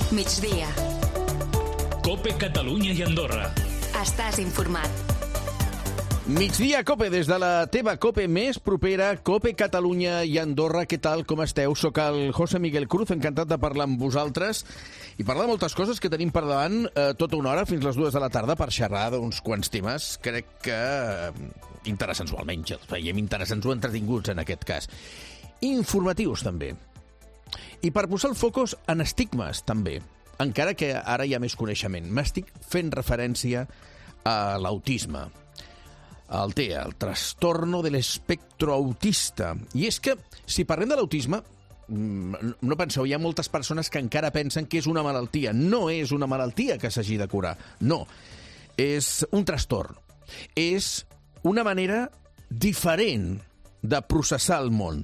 Migdia. COPE Catalunya i Andorra. Estàs informat. Migdia COPE, des de la teva COPE més propera, COPE Catalunya i Andorra. Què tal, com esteu? Soc el José Miguel Cruz, encantat de parlar amb vosaltres i parlar de moltes coses que tenim per davant tota una hora fins les 2 de la tarda per xerrar d'uns quants temes, crec que interessants, o almenys els veiem interessants o entretinguts en aquest cas. Informatius, també. I per posar el focus en estigmes, també, encara que ara hi ha més coneixement. M'estic fent referència a l'autisme, el TEA, el trastorno de l'espectro autista. I és que, si parlem de l'autisme, no penseu, hi ha moltes persones que encara pensen que és una malaltia. No és una malaltia que s'hagi de curar, no. És un trastorn. És una manera diferent de processar el món.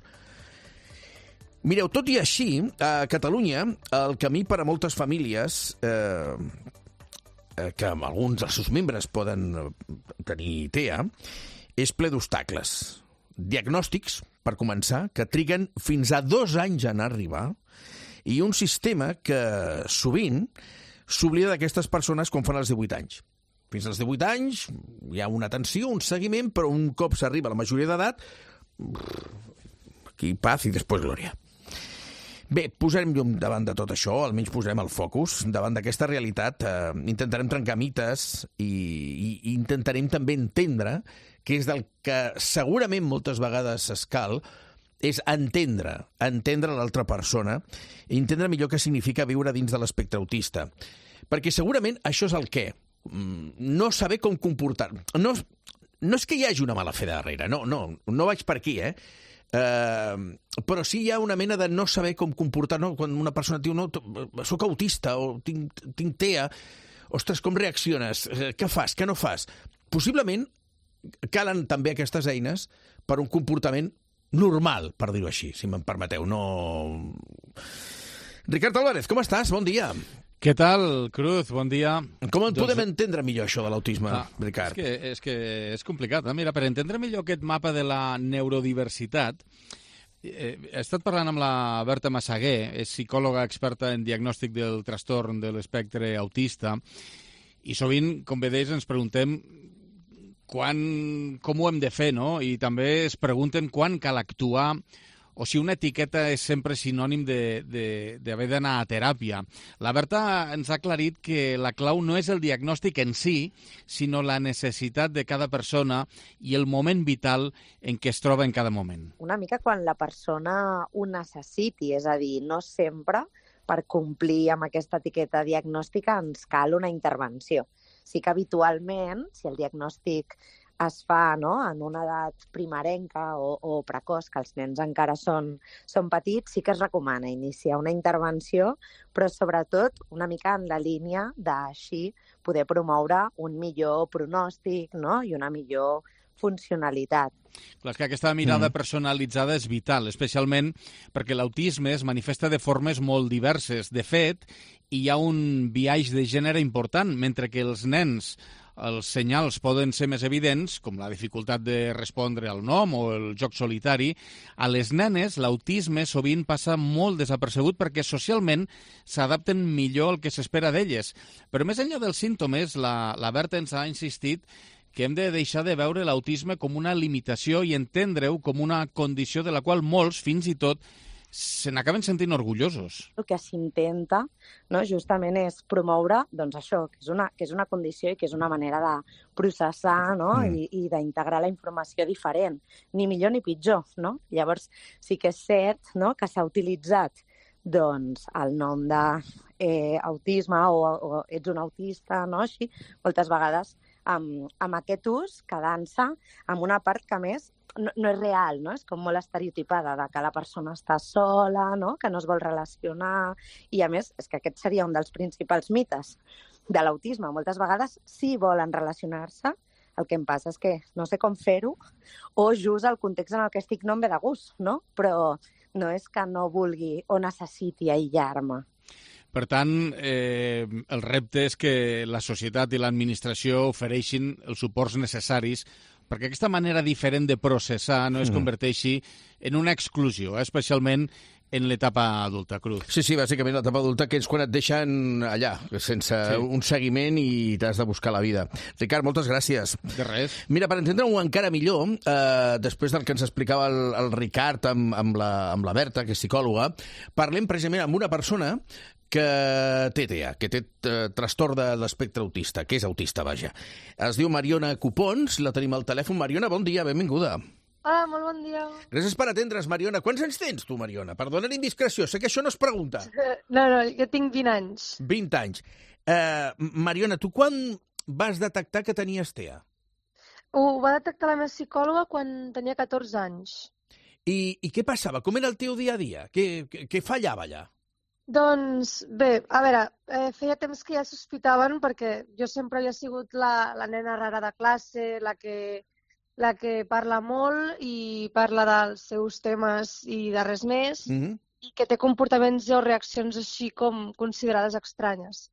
Mireu, tot i així, a Catalunya, el camí per a moltes famílies, que alguns dels seus membres poden tenir TEA, és ple d'obstacles. Diagnòstics, per començar, que triguen fins a 2 anys en arribar, i un sistema que sovint s'oblida d'aquestes persones quan fan els 18 anys. Fins als 18 anys hi ha una atenció, un seguiment, però un cop s'arriba a la majoria d'edat, aquí paz i després glòria. Bé, posarem llum davant de tot això, almenys posarem el focus davant d'aquesta realitat. Intentarem trencar mites i intentarem també entendre que és del que segurament moltes vegades es cal, és entendre l'altra persona i entendre millor què significa viure dins de l'espectre autista. Perquè segurament això és el què. No saber com comportar. No és que hi hagi una mala fe darrere, no vaig per aquí, però sí hi ha una mena de no saber com comportar, no? Quan una persona diu, no, soc autista o tinc TEA, ostres, com reacciones? Què fas? Què no fas? Possiblement calen també aquestes eines per un comportament normal, per dir-ho així, si me'n permeteu. No... Ricard Álvarez, com estàs? Bon dia. Què tal, Cruz? Bon dia. Com podem entendre millor això de l'autisme, Ricard? És que és complicat. Mira, per entendre millor aquest mapa de la neurodiversitat, he estat parlant amb la Berta Massaguer, és psicòloga experta en diagnòstic del trastorn de l'espectre autista, i sovint, com bé deies, ens preguntem com ho hem de fer, no? I també es pregunten quan cal actuar, o si una etiqueta és sempre sinònim d'haver d'anar a teràpia. La Berta ens ha aclarit que la clau no és el diagnòstic en si, sinó la necessitat de cada persona i el moment vital en què es troba en cada moment. Una mica quan la persona ho necessiti, és a dir, no sempre per complir amb aquesta etiqueta diagnòstica ens cal una intervenció. Sí que habitualment, si el diagnòstic es fa, no?, en una edat primerenca o precoç, que els nens encara són petits, sí que es recomana iniciar una intervenció, però sobretot una mica en la línia d'així poder promoure un millor pronòstic, no?, i una millor funcionalitat. Clar, és que aquesta mirada personalitzada és vital, especialment perquè l'autisme es manifesta de formes molt diverses. De fet, hi ha un biaix de gènere important, mentre que els nens els senyals poden ser més evidents, com la dificultat de respondre al nom o el joc solitari. A les nenes l'autisme sovint passa molt desapercebut perquè socialment s'adapten millor al que s'espera d'elles. Però més enllà dels símptomes, la Berta ens ha insistit que hem de deixar de veure l'autisme com una limitació i entendre-ho com una condició de la qual molts, fins i tot, se n'acaben sentint orgullosos. El que s'intenta, no, justament és promoure, doncs això, que és una condició i que és una manera de processar, no, i d'integrar la informació diferent, ni millor ni pitjor, no? Llavors sí que és cert, no, que s'ha utilitzat doncs el nom d'autisme o ets un autista, no, així, moltes vegades amb aquest ús, quedant-se amb una part que més no és real, no? És com molt estereotipada, de que la persona està sola, no?, que no es vol relacionar, i a més és que aquest seria un dels principals mites de l'autisme. Moltes vegades sí volen relacionar-se, el que em passa és que no sé com fer-ho, o just el context en el que estic no em ve de gust, no? Però no és que no vulgui o necessiti aïllar-me. Per tant, el repte és que la societat i l'administració ofereixin els suports necessaris perquè aquesta manera diferent de processar no es converteixi en una exclusió, especialment en l'etapa adulta, Cruz. Sí, bàsicament l'etapa adulta, que és quan et deixen allà, sense un seguiment i t'has de buscar la vida. Ricard, moltes gràcies. De res. Mira, per entendre-ho encara millor, després del que ens explicava el Ricard amb la Berta, que és psicòloga, parlem precisament amb una persona que té TEA, que té trastorn de l'espectre autista, que és autista, vaja. Es diu Mariona Copons, la tenim al telèfon. Mariona, bon dia, benvinguda. Hola, molt bon dia. Gràcies per atendre's, Mariona. Quants anys tens tu, Mariona? Perdona l'indiscreció, sé que això no es pregunta. No, jo tinc 20 anys. 20 anys. Mariona, tu quan vas detectar que tenies TEA? Ho va detectar la meva psicòloga quan tenia 14 anys. I què passava? Com era el teu dia a dia? Què fallava allà? Doncs bé, a veure, feia temps que ja sospitaven perquè jo sempre havia sigut la nena rara de classe, la que parla molt i parla dels seus temes i de res més, i que té comportaments o reaccions així com considerades estranyes.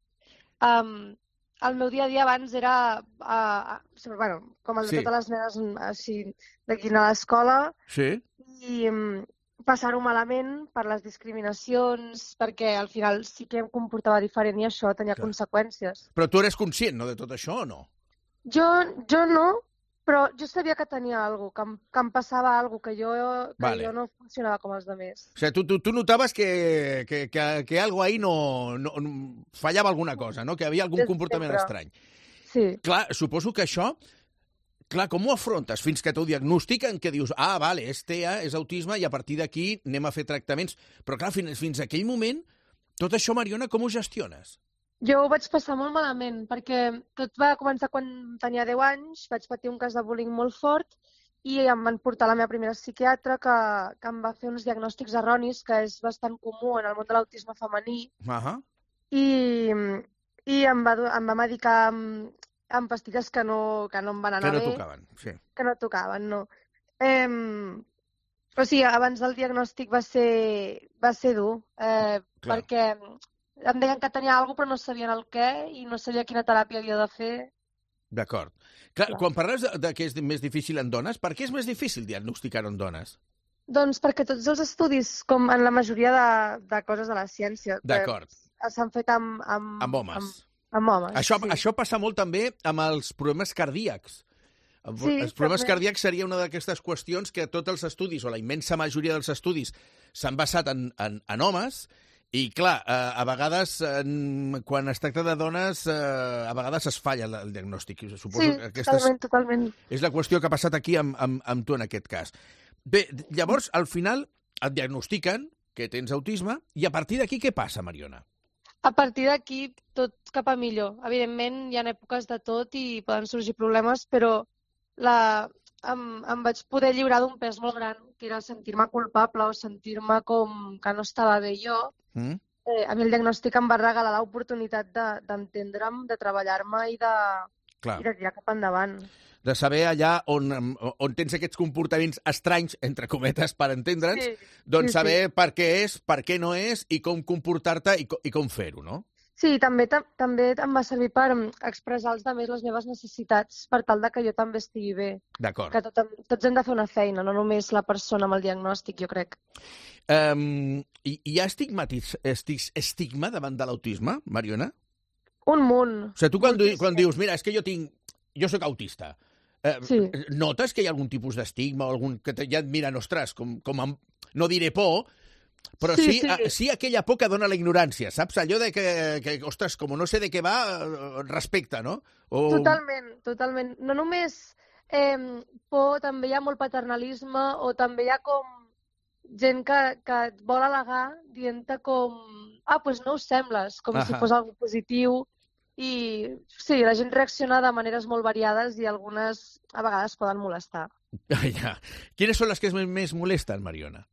El meu dia a dia abans era, com el de totes les nenes així d'aquí a l'escola, i passar-ho malament per les discriminacions, perquè al final sí que em comportava diferent i això tenia conseqüències. Però tu eres conscient, no, de tot això, o no? Jo no, però jo sabia que tenia alguna cosa, que em passava alguna cosa, que jo no funcionava com els altres. O sigui, tu notaves que algo ahí no fallava alguna cosa, no? Que hi havia algun comportament estrany. Sí. Clar, suposo que això... Clar, com ho afrontes fins que t'ho diagnostiquen, que dius, vale, és TEA, és autisme, i a partir d'aquí anem a fer tractaments. Però clar, fins a aquell moment, tot això, Mariona, com ho gestiones? Jo ho vaig passar molt malament, perquè tot va començar quan tenia 10 anys, vaig patir un cas de bullying molt fort i em van portar a la meva primera psiquiatra que em va fer uns diagnòstics erronis, que és bastant comú en el món de l'autisme femení, i em va medicar amb pastilles que no em van anar bé. Que no tocaven, sí. Que no tocaven, no. O sigui, abans del diagnòstic va ser dur, perquè em deien que tenia alguna cosa però no sabien el què i no sabia quina teràpia havia de fer. D'acord. Quan parles de que és més difícil en dones, per què és més difícil diagnosticar-ho en dones? Doncs perquè tots els estudis, com en la majoria de coses de la ciència, s'han fet amb homes. Amb homes, Això passa molt també amb els problemes cardíacs. Els problemes cardíacs seria una d'aquestes qüestions que tots els estudis, o la immensa majoria dels estudis, s'han basat en homes, i clar, a vegades, quan es tracta de dones, a vegades es falla el diagnòstic. Suposo que totalment. És la qüestió que ha passat aquí amb tu en aquest cas. Bé, llavors, al final, et diagnostiquen que tens autisme, i a partir d'aquí què passa, Mariona? A partir d'aquí, tot cap a millor. Evidentment, hi ha èpoques de tot i poden sorgir problemes, però em vaig poder lliurar d'un pes molt gran, que era sentir-me culpable o sentir-me com que no estava bé jo. A mi el diagnòstic em va regalar l'oportunitat d'entendre'm, de treballar-me i de tirar cap endavant. De saber allà on tens aquests comportaments estranys, entre cometes, per entendre'ns, doncs saber per què és, per què no és, i com comportar-te i com fer-ho, no? Sí, també em va servir per expressar als altres les meves necessitats, per tal de que jo també estigui bé. D'acord. Que tots hem de fer una feina, no només la persona amb el diagnòstic, jo crec. Hi ha estigma davant de l'autisme, Mariona? Un munt. O sigui, tu quan dius, mira, és que jo soc autista, notes que hi ha algun tipus d'estigma o algun que ja et miren, ostres, no diré por, però sí aquella por que dona la ignorància, saps? Allò de que ostres, com no sé de què va, respecte, no? Totalment. No només por, també hi ha molt paternalisme o també hi ha com gent que et vol al·legar dient-te com, doncs no ho sembles, com si fos algo positiu. I sí, la gent reacciona de maneres molt variades i algunes a vegades poden molestar. Quines són les que més molesten, Mariona?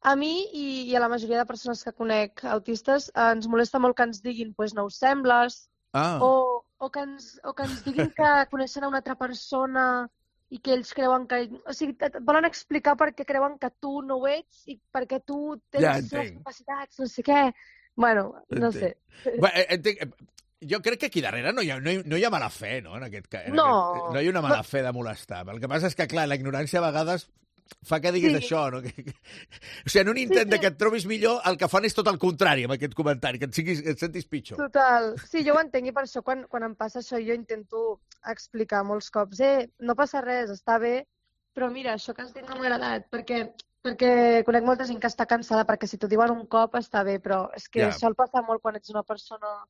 A mi i a la majoria de persones que conec autistes ens molesta molt que ens diguin no ho sembles, o que ens diguin que coneixen una altra persona i que ells creuen que... O sigui, et volen explicar per què creuen que tu no ho ets i per què tu tens les seves capacitats, no sé què. Bueno, no sé. Entenc. Jo crec que aquí darrere no hi ha mala fe, no? En aquest cas. No. No hi ha una mala fe de molestar. El que passa és que, clar, la ignorància a vegades fa que diguis això, no? O sigui, en un intent de que et trobis millor, el que fan és tot el contrari amb aquest comentari, que et sentis pitjor. Total. Sí, jo ho entenc i per això quan em passa això jo intento explicar molts cops no passa res, està bé, però mira, això que has dit no m'ha agradat, perquè conec molta gent que està cansada, perquè si t'ho diuen un cop està bé, però és que sol passar molt quan ets una persona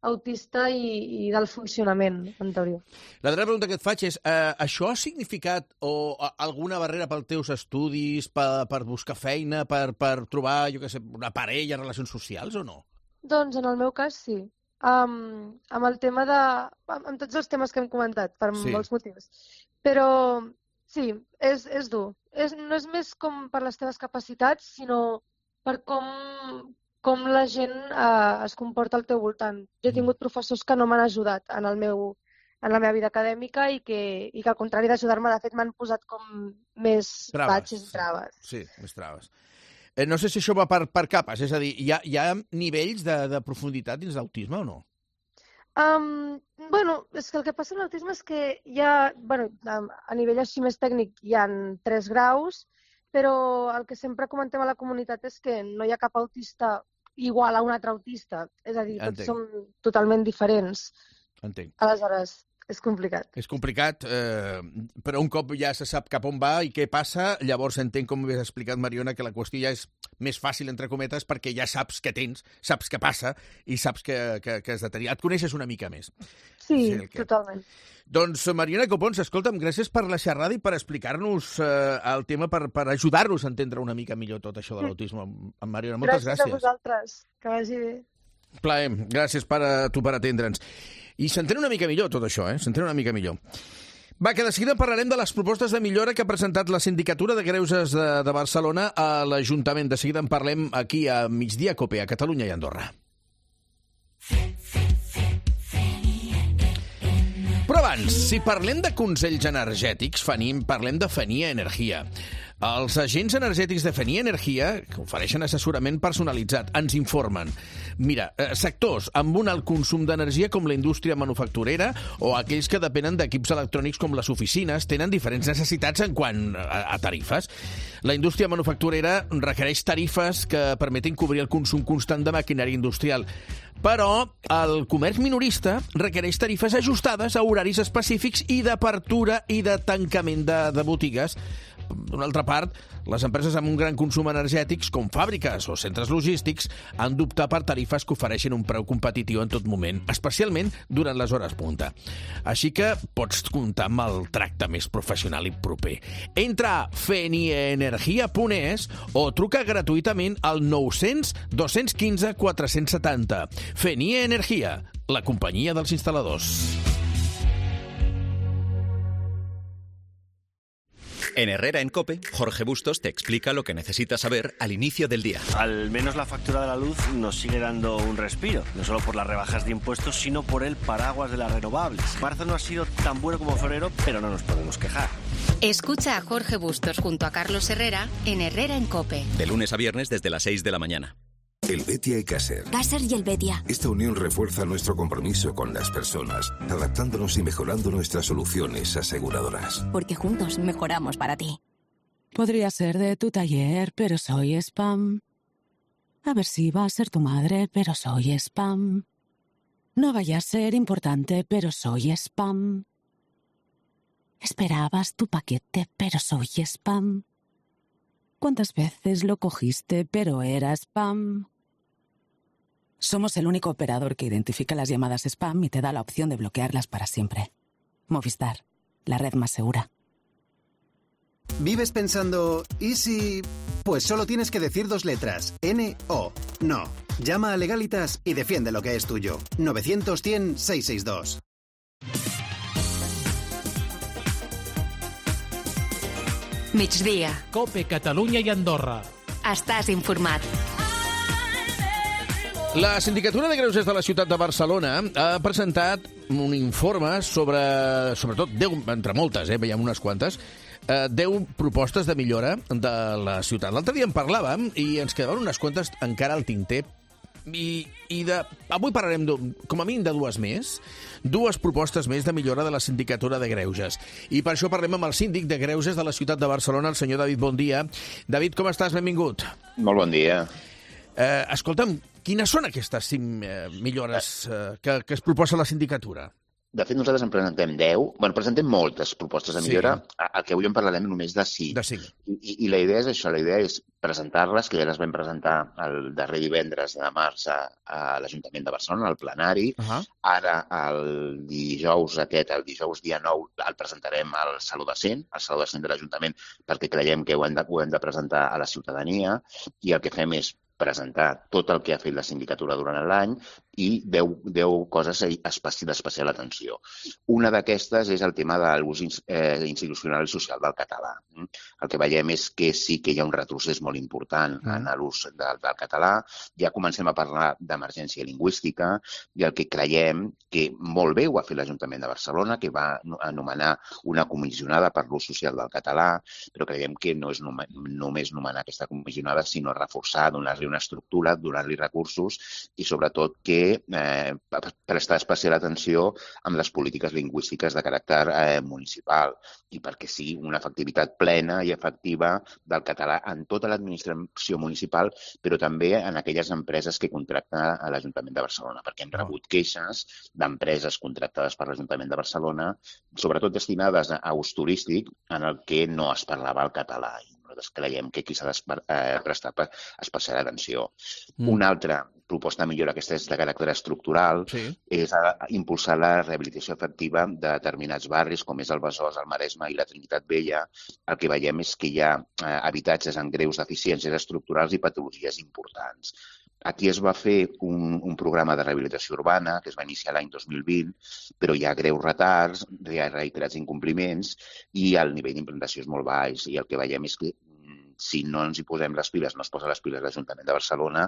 autista i del funcionament, en teoria. La darrera pregunta que et faig és, això ha significat alguna barrera pels teus estudis, per buscar feina, per trobar, jo què sé, una parella, relacions socials o no? Doncs en el meu cas sí. Amb el tema amb tots els temes que hem comentat, per molts motius. Però sí, és dur. No és més com per les teves capacitats, sinó per com la gent es comporta al teu voltant. Jo he tingut professors que no m'han ajudat en la meva vida acadèmica i que al contrari d'ajudar-me, de fet, m'han posat com més batxes i traves. Sí, més traves. No sé si això va per capes, és a dir, hi ha nivells de profunditat dins l'autisme o no? Bueno, és que el que passa amb l'autisme és que hi ha, a nivell així més tècnic, hi ha 3 graus, però el que sempre comentem a la comunitat és que no hi ha cap autista igual a un altre autista. És a dir, tots som totalment diferents. Entenc. Aleshores, és complicat. És complicat, però un cop ja se sap cap on va i què passa, llavors entenc, com havies explicat, Mariona, que la qüestió ja és més fàcil, entre cometes, perquè ja saps què tens, saps què passa i saps que has de tenir. Et coneixes una mica més. Sí, totalment. Doncs, Mariona Copons, escolta'm, gràcies per la xerrada i per explicar-nos el tema, per ajudar-nos a entendre una mica millor tot això de l'autisme. Mariona, moltes gràcies. Gràcies a vosaltres. Que vagi bé. Plaer. Gràcies per atendre'ns. I s'entén una mica millor tot això, s'entén una mica millor. Va, que de seguida parlarem de les propostes de millora que ha presentat la Sindicatura de Greuges de Barcelona a l'Ajuntament. De seguida en parlem aquí a Migdia Cope, a Catalunya i Andorra. Però abans, si parlem de consells energètics, parlem de Fenia Energia. Els agents energètics de Fenia Energia, que ofereixen assessorament personalitzat, ens informen. Mira, sectors amb un alt consum d'energia com la indústria manufacturera o aquells que depenen d'equips electrònics com les oficines tenen diferents necessitats en quant a tarifes. La indústria manufacturera requereix tarifes que permetin cobrir el consum constant de maquinària industrial. Però el comerç minorista requereix tarifes ajustades a horaris específics i d'apertura i de tancament de botigues. D'una altra part, les empreses amb un gran consum energètics, com fàbriques o centres logístics, han d'optar per tarifes que ofereixen un preu competitiu en tot moment, especialment durant les hores punta. Així que pots comptar amb el tracte més professional i proper. Entra a feniaenergia.es o truca gratuïtament al 900 215 470. Fenia Energia, la companyia dels instal·ladors. En Herrera en COPE, Jorge Bustos te explica lo que necesitas saber al inicio del día. Al menos la factura de la luz nos sigue dando un respiro, no solo por las rebajas de impuestos, sino por el paraguas de las renovables. Marzo no ha sido tan bueno como febrero, pero no nos podemos quejar. Escucha a Jorge Bustos junto a Carlos Herrera en Herrera en COPE. De lunes a viernes desde las 6 de la mañana. El Betia y Caser. Caser y el Betia. Esta unión refuerza nuestro compromiso con las personas, adaptándonos y mejorando nuestras soluciones aseguradoras. Porque juntos mejoramos para ti. Podría ser de tu taller, pero soy spam. A ver si va a ser tu madre, pero soy spam. No vaya a ser importante, pero soy spam. Esperabas tu paquete, pero soy spam. ¿Cuántas veces lo cogiste, pero era spam? Somos el único operador que identifica las llamadas spam y te da la opción de bloquearlas para siempre. Movistar, la red más segura. ¿Vives pensando, ¿y si...? Pues solo tienes que decir 2 letras. N-O. No. Llama a Legalitas y defiende lo que es tuyo. 900-100-662. Migdia. Cope Catalunya i Andorra. Estàs informat. La Sindicatura de Greuges de la ciutat de Barcelona ha presentat un informe sobre, sobretot, 10, entre moltes, veiem unes quantes, 10 propostes de millora de la ciutat. L'altre dia en parlàvem i ens quedaven unes quantes encara al tinter Avui parlarem, com a mínim, de dues propostes més de millora de la sindicatura de greuges. I per això parlem amb el síndic de greuges de la ciutat de Barcelona, el senyor David Bondia. David, com estàs? Benvingut. Molt bon dia. Escolta'm, quines són aquestes 5 millores que es proposa la sindicatura? De fet, nosaltres en presentem 10. Presentem moltes propostes de millora. El que avui en parlarem només de 5. I la idea és això, la idea és presentar-les, que ja les vam presentar el darrer divendres de març a l'Ajuntament de Barcelona, al plenari. Ara, el dijous dia 9, el presentarem al Saló de Cent, de l'Ajuntament, perquè creiem que ho hem de presentar a la ciutadania, i el que fem és presentar tot el que ha fet la sindicatura durant l'any i 10 coses d'especial atenció. Una d'aquestes és el tema de l'ús institucional i social del català. El que veiem és que sí que hi ha un retrocés molt important en l'ús del català. Ja comencem a parlar d'emergència lingüística i el que creiem que molt bé ho ha fet l'Ajuntament de Barcelona, que va anomenar una comissionada per l'ús social del català, però creiem que no és només nomenar aquesta comissionada, sinó reforçar, donar-li una estructura, donar-li recursos i sobretot que prestar especial atenció amb les polítiques lingüístiques de caràcter municipal i perquè sigui una efectivitat plena i efectiva del català en tota l'administració municipal, però també en aquelles empreses que contracta a l'Ajuntament de Barcelona, perquè hem rebut queixes d'empreses contractades per l'Ajuntament de Barcelona, sobretot destinades a ús turístic, en el que no es parlava el català. Nosaltres creiem que aquí s'ha de prestar especial atenció. Una altra proposta de millora, aquesta és de caràcter estructural, és impulsar la rehabilitació efectiva de determinats barris, com és el Besòs, el Maresme i la Trinitat Vella. El que veiem és que hi ha habitatges amb greus deficiències estructurals i patologies importants. Aquí es va fer un programa de rehabilitació urbana que es va iniciar l'any 2020, però hi ha greus retards, hi ha reiterats incompliments i el nivell d'implantació és molt baix. I el que veiem és que si no ens hi posem les piles, no es posa les piles l'Ajuntament de Barcelona,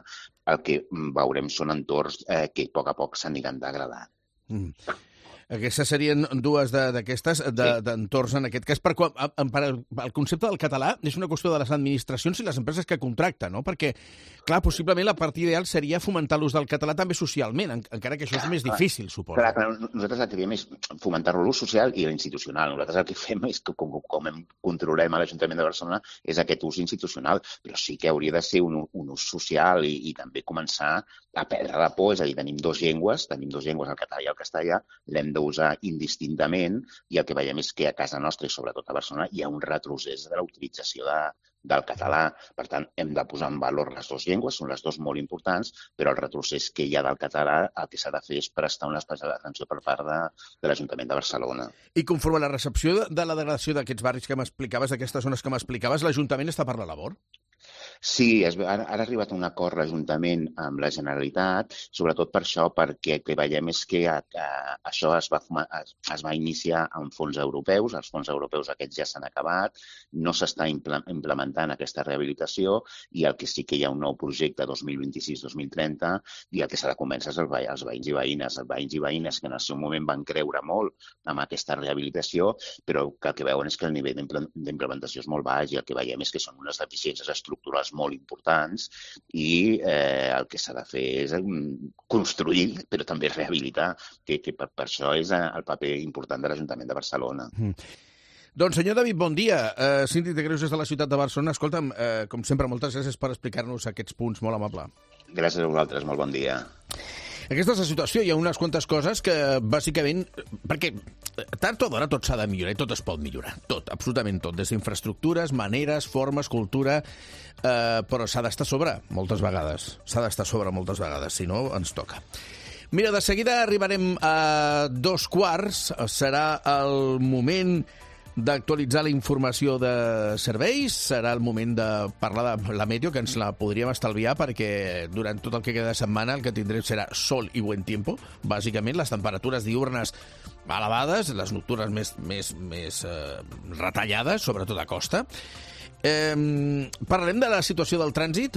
el que veurem són entorns que a poc s'aniran degradant. Aquestes serien dues d'aquestes d'entorns en aquest cas. El concepte del català és una qüestió de les administracions i les empreses que contracten, no? Perquè, clar, possiblement la part ideal seria fomentar l'ús del català també socialment, encara que això és més difícil, suposo. Clar, nosaltres el que diem és fomentar-lo l'ús social i l'institucional. Nosaltres el que fem és que, com controlem a l'Ajuntament de Barcelona, és aquest ús institucional, però sí que hauria de ser un ús social i també començar a perdre la por, és a dir, tenim dues llengües, el català i el castellà, l'hem d'usar indistintament i el que veiem és que a casa nostra i sobretot a Barcelona hi ha un retrocés de la utilització del català. Per tant, hem de posar en valor les dues llengües, són les dues molt importants, però el retrocés que hi ha del català el que s'ha de fer és prestar una especial atenció per part de l'Ajuntament de Barcelona. I conforme a la recepció de la degradació d'aquests barris que m'explicaves, d'aquestes zones que m'explicaves, l'Ajuntament està per la labor? Sí, ha arribat un acord l'Ajuntament amb la Generalitat, sobretot per això, perquè el que veiem és que això es va iniciar amb fons europeus, els fons europeus aquests ja s'han acabat, no s'està implementant aquesta rehabilitació i el que sí que hi ha un nou projecte 2026-2030 i el que s'ha de convèncer és els veïns i veïnes que en el seu moment van creure molt amb aquesta rehabilitació, però que el que veuen és que el nivell d'implementació és molt baix i el que veiem és que són unes deficiències estructurals molt importants i el que s'ha de fer és construir, però també rehabilitar, que per això és el paper important de l'Ajuntament de Barcelona. Doncs, senyor David, bon dia. Síndic de greuges de la ciutat de Barcelona. Escolta'm, com sempre, moltes gràcies per explicar-nos aquests punts, molt amable. Gràcies a vosaltres, molt bon dia. Aquesta és la situació, hi ha unes quantes coses que, bàsicament, perquè tard o d'hora tot s'ha de millorar i tot es pot millorar, tot, absolutament tot, des d'infraestructures, maneres, formes, cultura, però s'ha d'estar a sobre moltes vegades, si no ens toca. Mira, de seguida arribarem a 2:15, serà el moment d'actualitzar la informació de serveis, serà el moment de parlar de la meteo, que ens la podríem estalviar perquè durant tot el que queda de setmana el que tindrem serà sol i buen tiempo, bàsicament les temperatures diurnes elevades, les nocturnes més retallades, sobretot a costa. Parlarem de la situació del trànsit,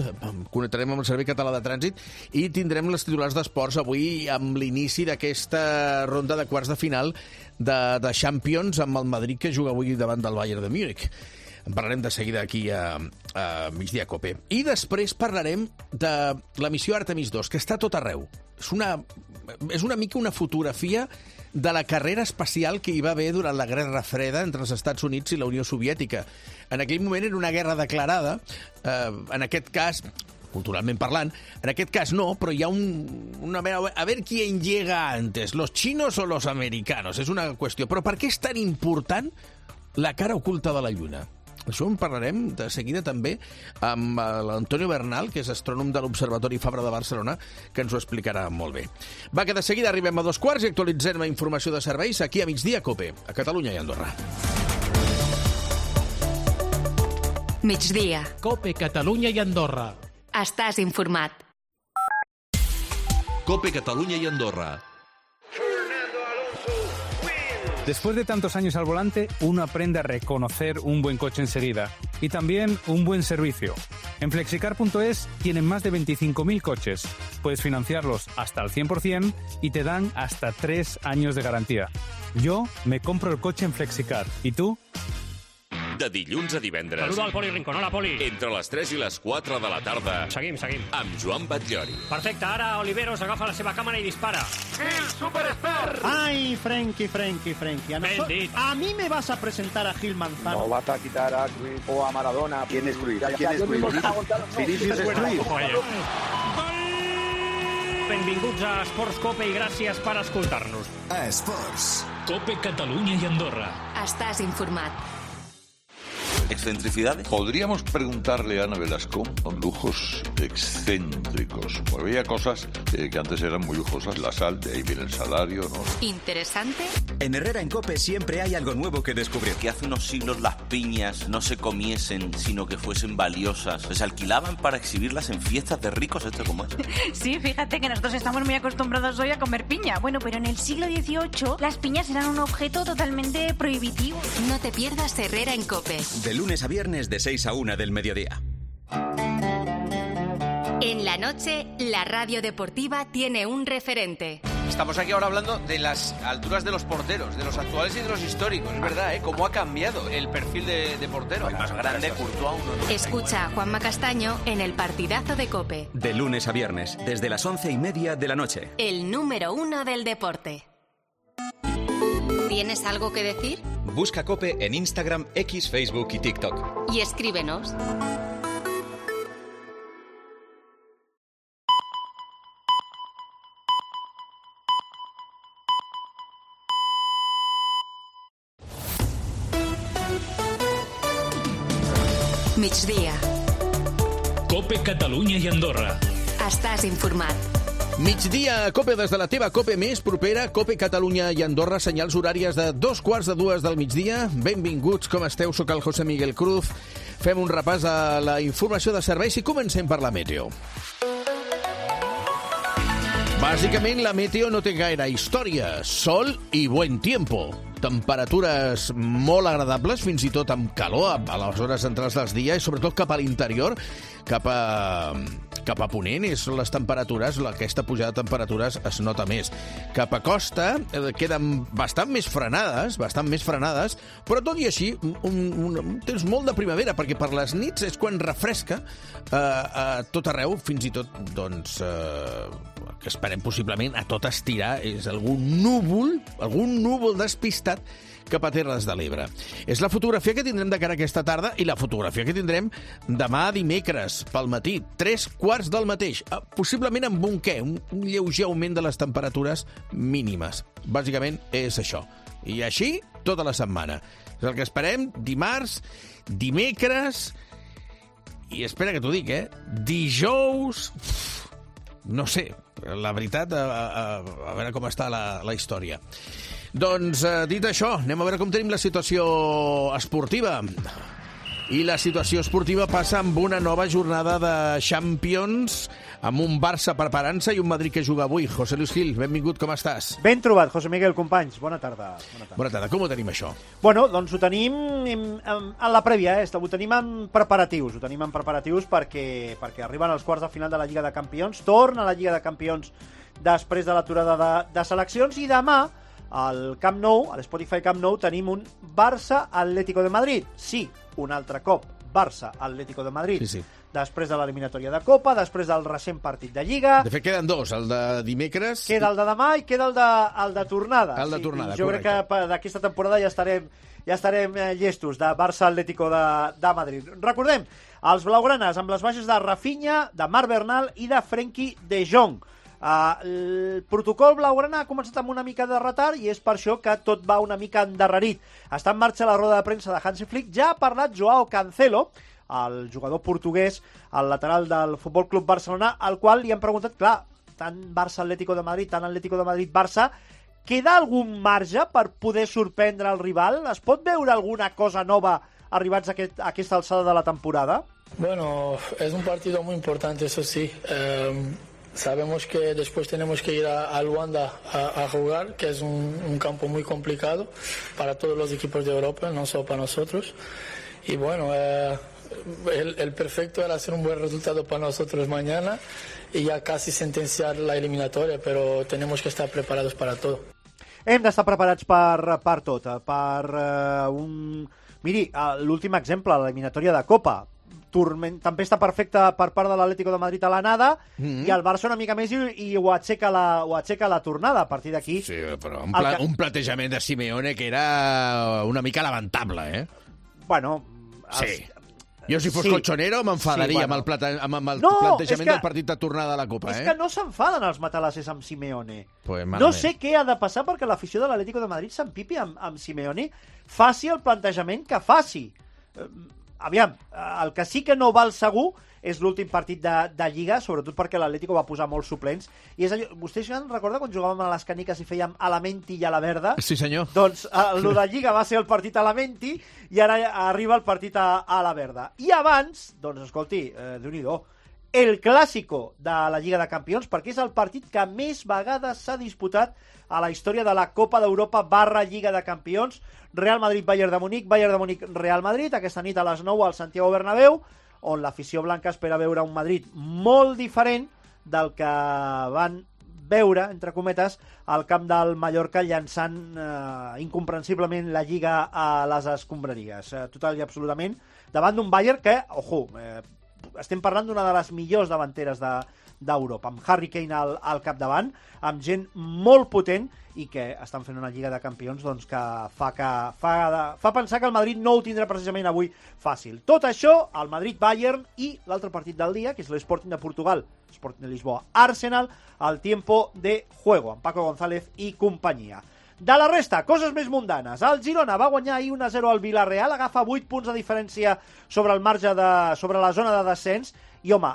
connectarem amb el Servei Català de Trànsit i tindrem les titulars d'esports avui amb l'inici d'aquesta ronda de quarts de final de Champions amb el Madrid, que juga avui davant del Bayern de Múnich. En parlarem de seguida aquí a Migdia Cope. I després parlarem de la missió Artemis 2, que està a tot arreu. És una mica una fotografia de la carrera espacial que hi va haver durant la Guerra Freda entre els Estats Units i la Unió Soviètica. En aquell moment era una guerra declarada, en aquest cas, culturalment parlant, en aquest cas no, però hi ha a ver quién llega antes, los chinos o los americanos, és una qüestió. Però per què és tan important la cara oculta de la Lluna? Això en parlarem de seguida també amb l'Antonio Bernal, que és astrònom de l'Observatori Fabra de Barcelona, que ens ho explicarà molt bé. Va, que de seguida arribem a 2:15 i actualitzem la informació de serveis aquí a Migdia Cope, a Catalunya i Andorra. Migdia. Cope Catalunya i Andorra. Estàs informat. Cope Catalunya y Andorra. Después de tantos años al volante, uno aprende a reconocer un buen coche enseguida y también un buen servicio. En Flexicar.es tienen más de 25.000 coches. Puedes financiarlos hasta al 100% y te dan hasta 3 años de garantía. Yo me compro el coche en Flexicar. ¿Y tú? De dilluns a divendres. Saluda al Poli Rincón. Hola, Poli. Entre les 3 i les 4 de la tarda. Seguim. Amb Joan Batllori. Perfecte, ara Oliveros agafa la seva càmera i dispara. ¡El superexpert! ¡Ay, Frenkie! Ben dit. A mí me vas a presentar a Gil Manzano. No vas a quitar a Cruyff o a Maradona. ¿Quién es Cruyff? Vinicius es Cruyff. Benvinguts a Esports Cope i gràcies per escoltar-nos. A Esports. Cope Catalunya i Andorra. Estàs informat. ¿Excentricidades? Podríamos preguntarle a Ana Velasco con lujos excéntricos. Porque había cosas que antes eran muy lujosas. La sal, de ahí viene el salario, ¿no? ¿Interesante? En Herrera en Cope siempre hay algo nuevo que descubrir. Que hace unos siglos las piñas no se comiesen, sino que fuesen valiosas. Se alquilaban para exhibirlas en fiestas de ricos. ¿Esto cómo es? Sí, fíjate que nosotros estamos muy acostumbrados hoy a comer piña. Bueno, pero en el siglo XVIII las piñas eran un objeto totalmente prohibitivo. No te pierdas Herrera en Cope. De lunes a viernes de 6 a 1 del mediodía. En la noche, la radio deportiva tiene un referente. Estamos aquí ahora hablando de las alturas de los porteros, de los actuales y de los históricos. Es verdad, ¿eh? Cómo ha cambiado el perfil de portero. El más grande, Courtois. Escucha a Juanma Castaño en el partidazo de COPE. De lunes a viernes, desde las 11:30 de la noche. El número 1 del deporte. ¿Tienes algo que decir? Busca COPE en Instagram, X, Facebook y TikTok. Y escríbenos. Migdia. Cope Catalunya i Andorra. Estàs informat. Migdia a Cope des de la teva Cope més propera, Cope Catalunya i Andorra, senyals horàries de 2:45 del migdia. Benvinguts, com esteu? Soc el José Miguel Cruz. Fem un repàs a la informació de serveis i comencem per la meteo. Bàsicament, la meteo no té gaire història. Sol i buen tiempo. Temperatures molt agradables, fins i tot amb calor a les hores centrals del dia i sobretot cap a l'interior, cap a ponent, són les temperatures, aquesta pujada de temperatures es nota més. Cap a costa queden bastant més frenades, però tot i així un temps molt de primavera, perquè per les nits és quan refresca a tot arreu, fins i tot, doncs, que esperem possiblement a tot estirar, és algun núvol despistat cap a Terres de l'Ebre. És la fotografia que tindrem de cara aquesta tarda i la fotografia que tindrem demà dimecres, pel matí, 3:15 del mateix. Possiblement amb un lleuger augment de les temperatures mínimes. Bàsicament és això. I així tota la setmana. És el que esperem dimarts, dimecres i espera que t'ho dic, dijous... No sé, la veritat, a veure com està la història. Doncs, dit això, anem a veure com tenim la situació esportiva. I la situació esportiva passa amb una nova jornada de Champions, amb un Barça preparant-se i un Madrid que juga avui. José Luis Gil, benvingut, com estàs? Ben trobat, José Miguel, companys. Bona tarda. Bona tarda. Com ho tenim, això? Bueno, doncs ho tenim en la prèvia, ho tenim en preparatius. Ho tenim en preparatius perquè arriben els quarts de final de la Lliga de Campions, torna a la Lliga de Campions després de l'aturada de seleccions, i demà al Camp Nou, a l'Spotify Camp Nou, tenim un Barça-Atlético de Madrid. Sí, un altre cop, Barça-Atlético de Madrid. Sí. Després de l'eliminatòria de Copa, després del recent partit de Lliga. De fet, queden dos, el de dimecres... Queda el de demà i queda el de tornada. El de tornada, jo crec que d'aquesta temporada ja estarem llestos de Barça-Atlético de Madrid. Recordem, els blaugranes amb les baixes de Rafinha, de Marc Bernal i de Frenkie de Jong. El protocol blaugrana ha començat amb una mica de retard i és per això que tot va una mica endarrerit. Està en marxa la roda de premsa de Hansi Flick. Ja ha parlat Joao Cancelo, el jugador portuguès, el lateral del Futbol Club Barcelona, al qual li han preguntat, clar, tant Barça-Atlético de Madrid, tant Atlético de Madrid-Barça, queda algun marge per poder sorprendre el rival? Es pot veure alguna cosa nova arribats a aquesta alçada de la temporada? Bueno, es un partido muy importante, eso sí. Sabemos que después tenemos que ir a Luanda a jugar, que es un campo muy complicado para todos los equipos de Europa, no solo para nosotros. Y bueno, el perfecto era hacer un buen resultado para nosotros mañana y ya casi sentenciar la eliminatoria, pero tenemos que estar preparados para todo. Hem d'estar preparats per tot. Miri, l'últim exemple, l'eliminatòria de Copa. També està perfecta per part de l'Atlético de Madrid a l'anada i el Barça una mica més i ho aixeca la tornada. A partir d'aquí... Sí, però un platejament de Simeone que era una mica lamentable, eh? Bueno... Sí. Jo, si fos colchonero, m'enfadaria amb el plantejament del partit de tornada a la Copa, És que no s'enfaden els matalasses amb Simeone. Pues no sé què ha de passar perquè l'afició de l'Atlético de Madrid s'empipi amb Simeone, faci el plantejament que faci. Aviam, el que sí que no val segur és l'últim partit de Lliga, sobretot perquè l'Atlético va posar molts suplents. I és allò, vostès recorda quan jugàvem a les caniques i fèiem a la Menti i a la Verda? Sí, senyor. Doncs el de Lliga va ser el partit a la Menti i ara arriba el partit a la Verda. I abans, doncs, escolti, Déu-n'hi-do, el clàssico de la Lliga de Campions, perquè és el partit que més vegades s'ha disputat a la història de la Copa d'Europa / Lliga de Campions. Real Madrid-Bayern de Munic, Bayern de Munic-Real Madrid, aquesta nit a les 9 al Santiago Bernabéu, on l'afició blanca espera veure un Madrid molt diferent del que van veure, entre cometes, al camp del Mallorca llançant incomprensiblement la Lliga a les escombraries. Total i absolutament, davant d'un Bayern que, estem parlant d'una de les millors davanteres d'Europa, amb Harry Kane al capdavant, amb gent molt potent i que estan fent una Lliga de Campions doncs, que fa pensar que el Madrid no ho tindrà precisament avui fàcil. Tot això, el Madrid-Bayern i l'altre partit del dia, que és l'Sporting de Portugal, Sporting de Lisboa, Arsenal, al tiempo de juego, amb Paco González i companyia. De la resta, coses més mundanes. El Girona va guanyar ahir 1-0 al Villarreal, agafa 8 punts de diferència sobre el marge sobre la zona de descens, i home,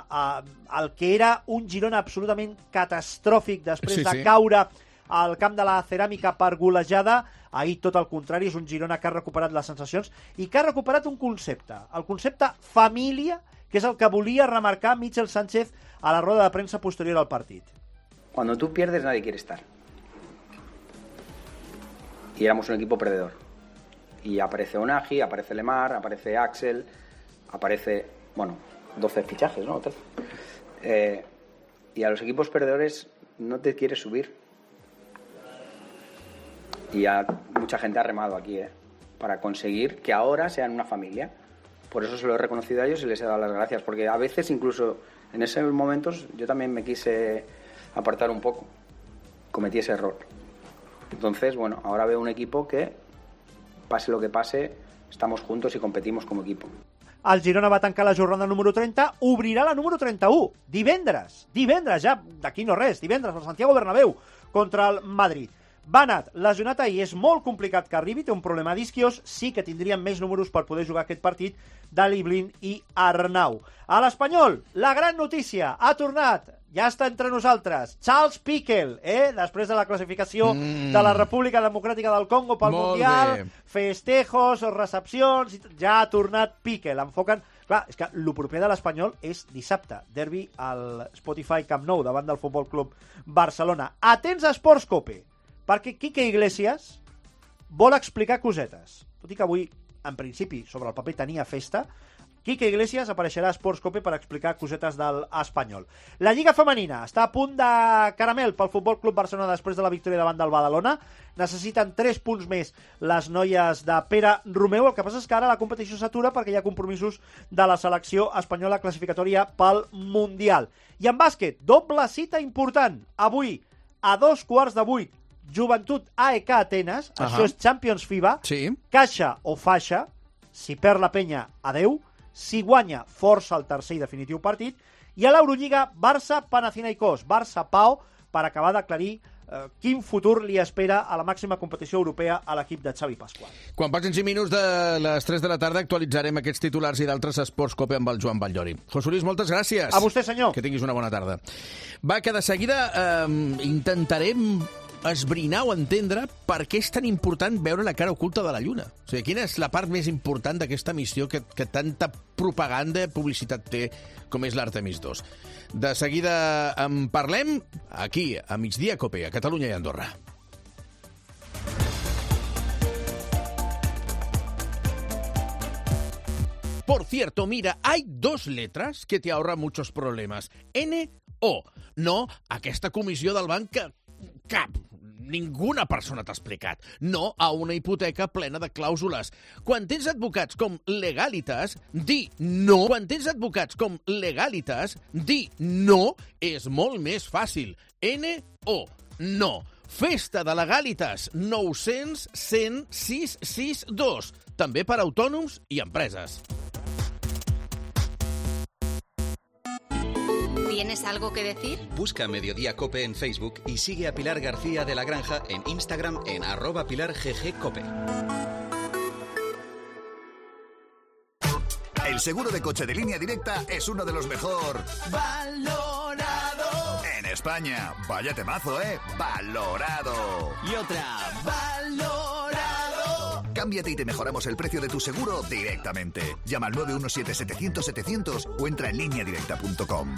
el que era un Girona absolutament catastròfic després de caure al camp de la Ceràmica per golejada, ahir tot el contrari, és un Girona que ha recuperat les sensacions i que ha recuperat un concepte, el concepte família, que és el que volia remarcar Michel Sánchez a la roda de premsa posterior al partit. Cuando tú pierdes nadie quiere estar. Y éramos un equipo perdedor. Y aparece Onagi, aparece Lemar, aparece Axel, aparece, 12 fichajes, ¿no? 13. Y a los equipos perdedores no te quieres subir. Y ya mucha gente ha remado aquí, para conseguir que ahora sean una familia. Por eso se lo he reconocido a ellos y les he dado las gracias, porque a veces incluso en esos momentos yo también me quise apartar un poco, cometí ese error. Entonces, ahora veo un equipo que, pase lo que pase, estamos juntos y competimos como equipo. El Girona va tancar la jornada número 30, obrirà la número 31, divendres, ja, d'aquí no res, divendres, al Santiago Bernabéu, contra el Madrid. Banat, lesionat ahir, és molt complicat que arribi, té un problema d'isquios, sí que tindrien més números per poder jugar aquest partit Dali Blin i Arnau. A l'Espanyol, la gran notícia, ha tornat, ja està entre nosaltres, Charles Piquel, després de la classificació de la República Democràtica del Congo pel Mundial, festejos, recepcions, ja ha tornat Piquel, enfoquen... Clar, és que el proper de l'Espanyol és dissabte, derbi al Spotify Camp Nou davant del Futbol Club Barcelona. Atents a Esports Cope, perquè Quique Iglesias vol explicar cosetes. Tot i que avui, en principi, sobre el paper tenia festa, Quique Iglesias apareixerà a Sports Cope per explicar cosetes del Espanyol. La Lliga Femenina està a punt de caramel pel Futbol Club Barcelona després de la victòria davant del Badalona. Necessiten 3 punts més les noies de Pere Romeu. El que passa és que ara la competició s'atura perquè hi ha compromisos de la selecció espanyola classificatòria pel Mundial. I en bàsquet, doble cita important. Avui, a 7:15, Joventut AEK Atenes, això és Champions FIBA, caixa o faixa, si perd la penya, adeu, si guanya, força el tercer i definitiu partit, i a l'Eurolliga, Barça-Panathinaikos, Barça-Pau, per acabar d'aclarir quin futur li espera a la màxima competició europea a l'equip de Xavi Pasqual. Quan passin 5 minuts de les 3 de la tarda actualitzarem aquests titulars i d'altres Esports Cope amb el Joan Batllori. José Luis, moltes gràcies. A vostè, senyor. Que tinguis una bona tarda. Va, que de seguida intentarem esbrinar o entendre per què és tan important veure la cara oculta de la Lluna. O sigui, quina és la part més important d'aquesta missió que tanta propaganda i publicitat té com és l'Artemis 2. De seguida en parlem aquí, a Migdia Cope, a Catalunya i Andorra. Por cierto, mira, hay 2 letras que te ahorran muchos problemas. N-O. No, aquesta comissió del banc que cap ninguna persona t'ha explicat. No a una hipoteca plena de clàusules. Quan tens advocats com Legalitas, dir no. Quan tens advocats com Legalitas, dir no és molt més fàcil. N-O. No. Festa de Legalitas 900 100 662. També per a autònoms i empreses. ¿Tienes algo que decir? Busca Mediodía Cope en Facebook y sigue a Pilar García de la Granja en Instagram en @PilarGGCope. El seguro de coche de Línea Directa es uno de los mejor valorado en España. Vaya temazo, ¿eh? Valorado. Y otra, valorado. Cámbiate y te mejoramos el precio de tu seguro directamente. Llama al 917-700-700 o entra en lineadirecta.com.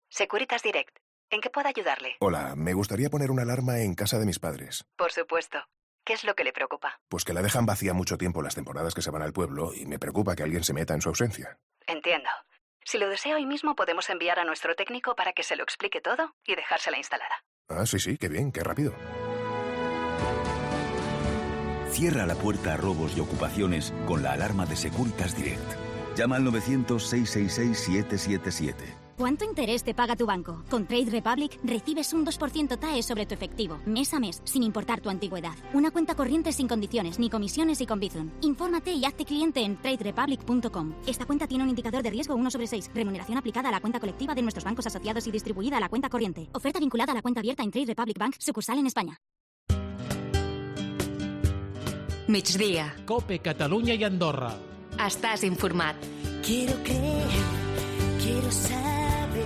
Securitas Direct. ¿En qué puedo ayudarle? Hola, me gustaría poner una alarma en casa de mis padres. Por supuesto. ¿Qué es lo que le preocupa? Pues que la dejan vacía mucho tiempo las temporadas que se van al pueblo y me preocupa que alguien se meta en su ausencia. Entiendo. Si lo desea hoy mismo podemos enviar a nuestro técnico para que se lo explique todo y dejársela instalada. Ah, sí, qué bien, qué rápido. Cierra la puerta a robos y ocupaciones con la alarma de Securitas Direct. Llama al 900-666-777. ¿Cuánto interés te paga tu banco? Con Trade Republic recibes un 2% TAE sobre tu efectivo, mes a mes, sin importar tu antigüedad. Una cuenta corriente sin condiciones, ni comisiones y con Bizum. Infórmate y hazte cliente en traderepublic.com. Esta cuenta tiene un indicador de riesgo 1/6. Remuneración aplicada a la cuenta colectiva de nuestros bancos asociados y distribuida a la cuenta corriente. Oferta vinculada a la cuenta abierta en Trade Republic Bank, sucursal en España. Migdia. Cope, Catalunya i Andorra. Estàs informat. Quiero creer, quiero saber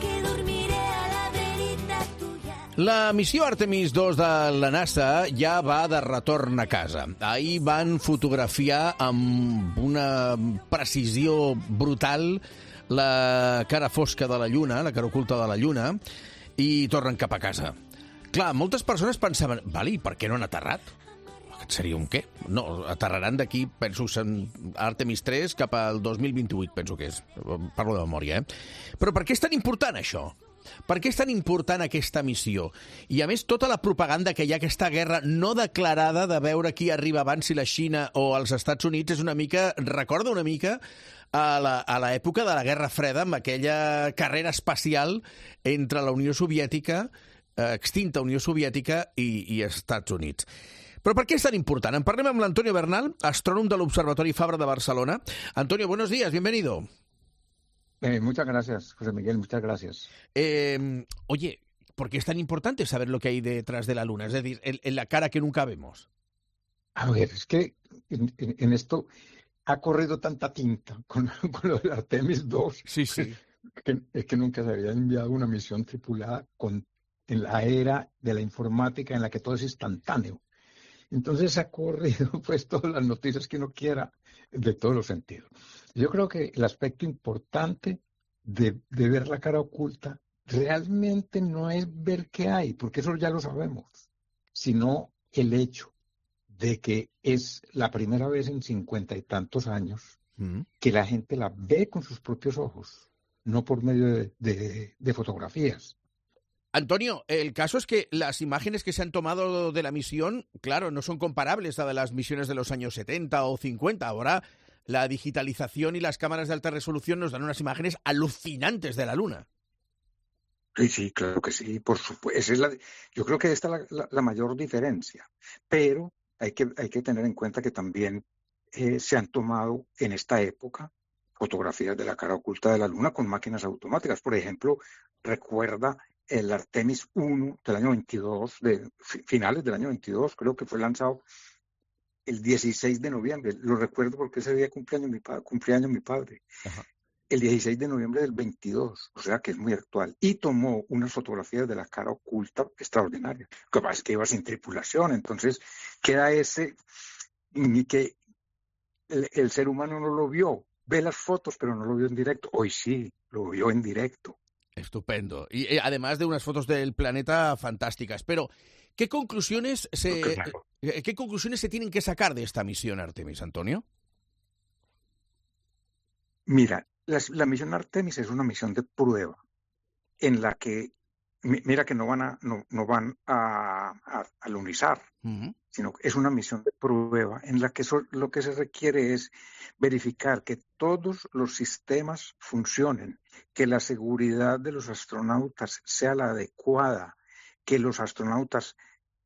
que dormiré a la verita tuya. La missió Artemis 2 de la NASA ja va de retorn a casa. Ahir van fotografiar amb una precisió brutal la cara fosca de la Lluna, la cara oculta de la Lluna, i tornen cap a casa. Clar, moltes persones pensaven, vale, i per què no han aterrat? Seria un què? No, aterraran d'aquí, penso, Artemis 3 cap al 2028, penso que és. Parlo de memòria, eh? Però per què és tan important això? Per què és tan important aquesta missió? I a més, tota la propaganda que hi ha, aquesta guerra no declarada de veure qui arriba abans, si la Xina o els Estats Units, és una mica, recorda una mica a l'època de la Guerra Freda, amb aquella carrera espacial entre la Unió Soviètica, extinta Unió Soviètica i Estats Units. Però per què és tan important? En parlem amb l'Antonio Bernal, astrònom de l'Observatori Fabra de Barcelona. Antonio, buenos días, bienvenido. Muchas gracias, José Miguel, muchas gracias. Oye, ¿por qué es tan importante saber lo que hay detrás de la Luna? Es decir, en la cara que nunca vemos. A ver, es que en esto ha corrido tanta tinta con lo del Artemis 2. Sí, sí. Es que nunca se había enviado una misión tripulada en la era de la informática en la que todo es instantáneo. Entonces ha corrido pues todas las noticias que uno quiera de todos los sentidos. Yo creo que el aspecto importante de ver la cara oculta realmente no es ver qué hay, porque eso ya lo sabemos, sino el hecho de que es la primera vez en 50 y tantos años que la gente la ve con sus propios ojos, no por medio de fotografías. Antonio, el caso es que las imágenes que se han tomado de la misión, claro, no son comparables a las misiones de los años 70 o 50. Ahora la digitalización y las cámaras de alta resolución nos dan unas imágenes alucinantes de la Luna. Sí, claro que sí, por supuesto. Yo creo que esta es la mayor diferencia, pero hay que tener en cuenta que también se han tomado en esta época fotografías de la cara oculta de la Luna con máquinas automáticas. Por ejemplo, recuerda el Artemis 1 del año 22, finales del año 22, creo que fue lanzado el 16 de noviembre. Lo recuerdo porque ese día cumpleaños mi padre. Ajá. El 16 de noviembre del 22, o sea que es muy actual. Y tomó unas fotografías de la cara oculta extraordinarias. Lo que pasa es que iba sin tripulación, entonces queda ni que el ser humano no lo vio. Ve las fotos, pero no lo vio en directo. Hoy sí, lo vio en directo. Estupendo. Y además de unas fotos del planeta fantásticas. Pero, ¿qué conclusiones se tienen que sacar de esta misión Artemis, Antonio? Mira, la misión Artemis es una misión de prueba en la que, mira que no van a lunizar, sino que es una misión de prueba en la que lo que se requiere es verificar que todos los sistemas funcionen, que la seguridad de los astronautas sea la adecuada, que los astronautas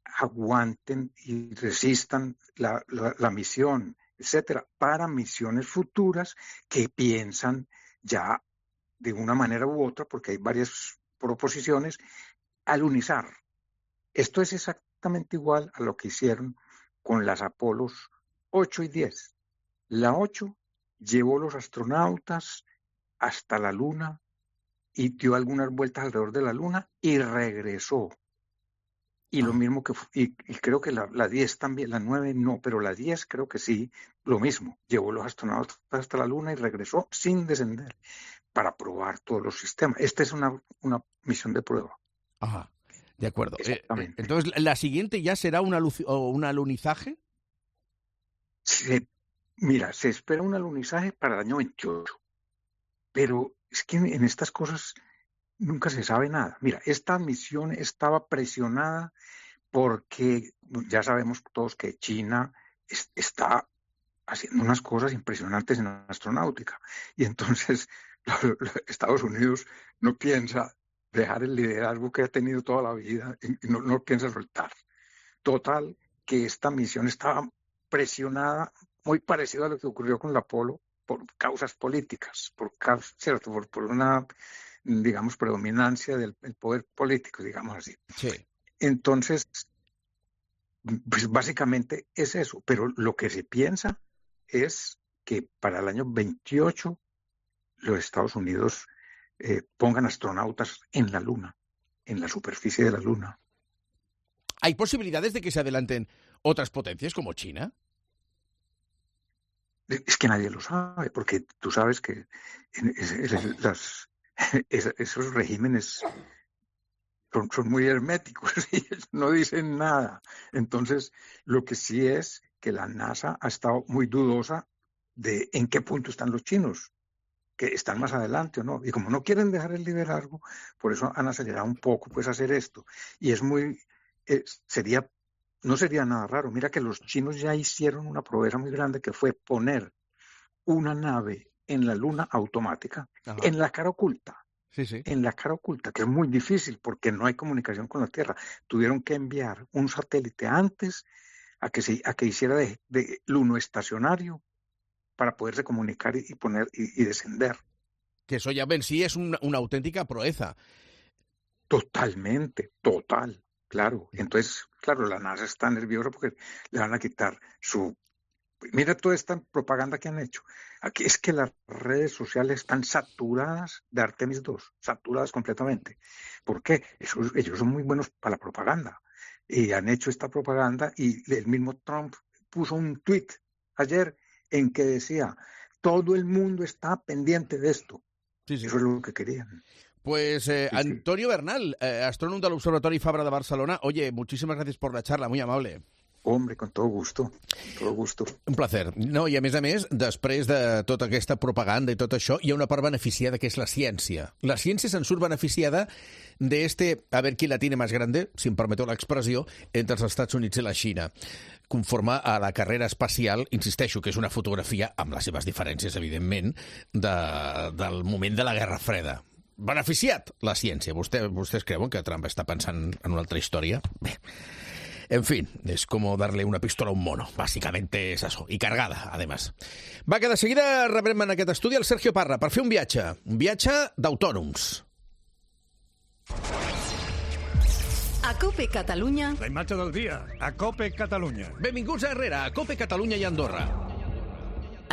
aguanten y resistan la misión, etcétera, para misiones futuras que piensan ya de una manera u otra, porque hay varias proposiciones, alunizar. Esto es exactamente igual a lo que hicieron con las Apolos 8 y 10. La 8 llevó los astronautas hasta la Luna y dio algunas vueltas alrededor de la Luna y regresó. Y lo mismo y creo que la 10 también, la 9 no, pero la 10 creo que sí, lo mismo. Llevó los astronautas hasta la Luna y regresó sin descender para probar todos los sistemas. Esta es una misión de prueba. Ajá, de acuerdo. Entonces, ¿la siguiente ya será un alunizaje? Mira, se espera un alunizaje para el año 28, pero es que en estas cosas nunca se sabe nada. Mira, esta misión estaba presionada porque ya sabemos todos que China está haciendo unas cosas impresionantes en la astronáutica. Y entonces Estados Unidos no piensa dejar el liderazgo que ha tenido toda la vida y no piensa soltar. Total, que esta misión estaba presionada, muy parecido a lo que ocurrió con la Apolo, por causas políticas, por una, digamos, predominancia del poder político, digamos así. Sí. Entonces, pues básicamente es eso, pero lo que se piensa es que para el año 28 los Estados Unidos pongan astronautas en la Luna, en la superficie de la Luna. ¿Hay posibilidades de que se adelanten otras potencias como China? Es que nadie lo sabe, porque tú sabes que esos regímenes son muy herméticos y no dicen nada. Entonces, lo que sí es que la NASA ha estado muy dudosa de en qué punto están los chinos, que están más adelante o no. Y como no quieren dejar el liderazgo, por eso han acelerado un poco pues hacer esto. Y es muy, no sería nada raro. Mira que los chinos ya hicieron una proeza muy grande que fue poner una nave en la Luna automática, en la cara oculta. Sí, sí. En la cara oculta, que es muy difícil porque no hay comunicación con la Tierra. Tuvieron que enviar un satélite antes a que hiciera de lunoestacionario para poderse comunicar y descender. Que eso ya en sí es una auténtica proeza. Totalmente, claro. Entonces, claro, la NASA está nerviosa porque le van a quitar su... Mira toda esta propaganda que han hecho. Aquí es que las redes sociales están saturadas de Artemis 2, saturadas completamente. ¿Por qué? Ellos son muy buenos para la propaganda. Y han hecho esta propaganda y el mismo Trump puso un tweet ayer en que decía, todo el mundo está pendiente de esto. Sí, sí. Eso es lo que querían. Pues Antonio Bernal, astrónomo del Observatori Fabra de Barcelona. Oye, muchísimas gracias por la charla, muy amable. Hombre, con todo gusto, todo gusto. Un placer. No, i a més, després de tota aquesta propaganda i tot això, hi ha una part beneficiada que és la ciència. La ciència se'n surt beneficiada de a ver quién la tiene más grande, si em permeteu l'expressió, entre els Estats Units i la Xina, conforme a la carrera espacial, insisteixo, que és una fotografia, amb les seves diferències, evidentment, del moment de la Guerra Freda. Beneficiat la ciència. ¿Vostès creuen que Trump està pensant en una altra història? Bé. En fin, es como darle una pistola a un mono. Básicamente es eso. Y cargada, además. Va, que de seguida rebrem en aquest estudi el Sergio Parra per fer un viatge d'autònoms. A COPE Catalunya... La imatge del dia, a COPE Catalunya. Benvinguts a Herrera, a COPE Catalunya i Andorra.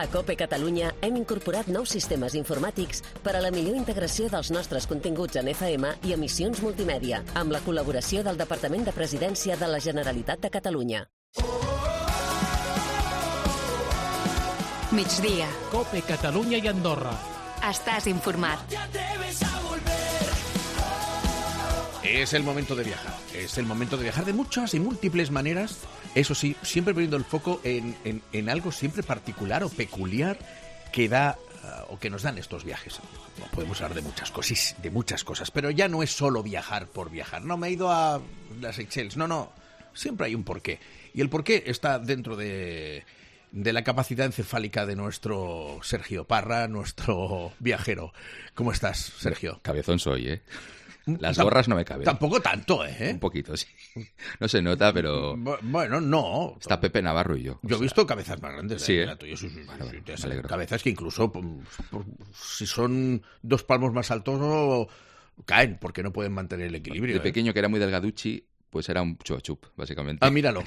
A COPE Catalunya hem incorporat nous sistemes informàtics per a la millor integració dels nostres continguts en FM i emissions multimèdia, amb la col·laboració del Departament de Presidència de la Generalitat de Catalunya. Migdia. COPE Catalunya i Andorra. Estàs informat. Es el momento de viajar. Es el momento de viajar de muchas y múltiples maneras. Eso sí, siempre poniendo el foco en algo siempre particular o peculiar que da o que nos dan estos viajes. No, podemos hablar de muchas cosas, pero ya no es solo viajar por viajar. No, me he ido a las Seychelles. No. Siempre hay un porqué. Y el porqué está dentro de la capacidad encefálica de nuestro Sergio Parra, nuestro viajero. ¿Cómo estás, Sergio? Cabezón soy, ¿eh? Las gorras no me caben. Tampoco tanto, ¿eh? Un poquito, sí. No se nota, pero... Bueno, no. Está Pepe Navarro y yo. Yo he visto cabezas más grandes. Sí, ¿eh? Sí, cabezas que incluso, si son 2 palmos más altos, caen, porque no pueden mantener el equilibrio. De pequeño, que era muy delgaduchi, pues era un chup, básicamente. Ah, míralo.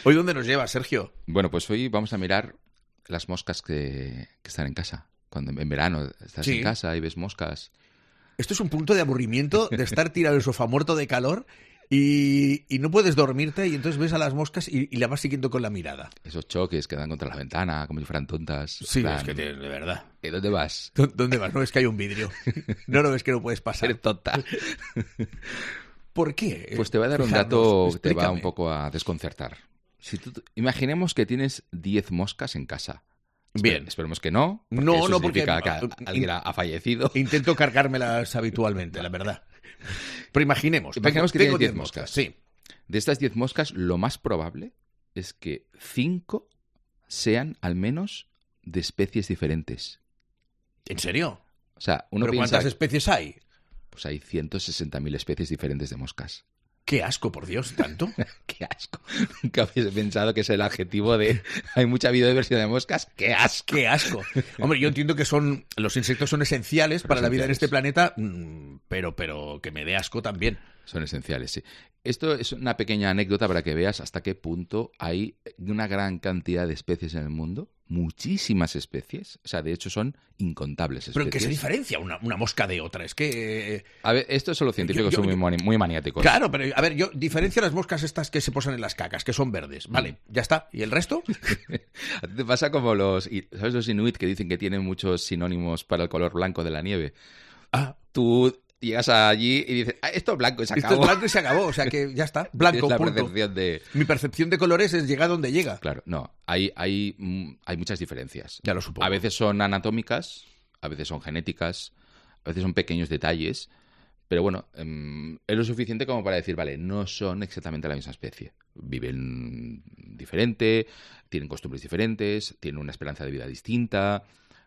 ¿Hoy dónde nos lleva, Sergio? Bueno, pues hoy vamos a mirar las moscas que están en casa. Cuando en verano estás en casa y ves moscas... Esto es un punto de aburrimiento, de estar tirado en el sofá muerto de calor y no puedes dormirte y entonces ves a las moscas y la vas siguiendo con la mirada. Esos choques que dan contra la ventana, como si fueran tontas. Sí, es que de verdad. ¿Dónde vas? ¿Dónde vas? No ves que hay un vidrio. No ves que no puedes pasar. Eres tonta. ¿Por qué? Pues te voy a dar un dato que te va un poco a desconcertar. Imaginemos que tienes 10 moscas en casa. Bien. Esperemos que no. No, porque alguien ha fallecido. Intento cargármelas habitualmente, la verdad. Pero imaginemos que tienes 10 moscas. Sí. De estas 10 moscas, lo más probable es que 5 sean al menos de especies diferentes. ¿En serio? O sea, ¿Pero cuántas especies hay? Pues hay 160.000 especies diferentes de moscas. ¡Qué asco, por Dios! ¿Tanto? ¡Qué asco! Nunca hubiese pensado que es el adjetivo de... Hay mucha biodiversidad de moscas. ¡Qué asco! ¡Qué asco! Hombre, yo entiendo que los insectos son esenciales para la vida en este planeta, pero que me dé asco también. Son esenciales, sí. Esto es una pequeña anécdota para que veas hasta qué punto hay una gran cantidad de especies en el mundo. Muchísimas especies. O sea, de hecho, son incontables especies. ¿Pero en qué se diferencia una mosca de otra? Es que... A ver, esto son los científicos son muy maniáticos. Claro, pero a ver, yo diferencio las moscas estas que se posan en las cacas, que son verdes. Vale, ya está. ¿Y el resto? Te pasa como ¿sabes los inuit que dicen que tienen muchos sinónimos para el color blanco de la nieve? Ah. Tú llegas allí y dices, esto es blanco y se acabó. Esto es blanco y se acabó, o sea que ya está. Blanco, es la punto. Percepción de... Mi percepción de colores es llega donde llega. Claro, no. Hay muchas diferencias. Ya lo supongo. A veces son anatómicas, a veces son genéticas, a veces son pequeños detalles. Pero bueno, es lo suficiente como para decir, vale, no son exactamente la misma especie. Viven diferente, tienen costumbres diferentes, tienen una esperanza de vida distinta,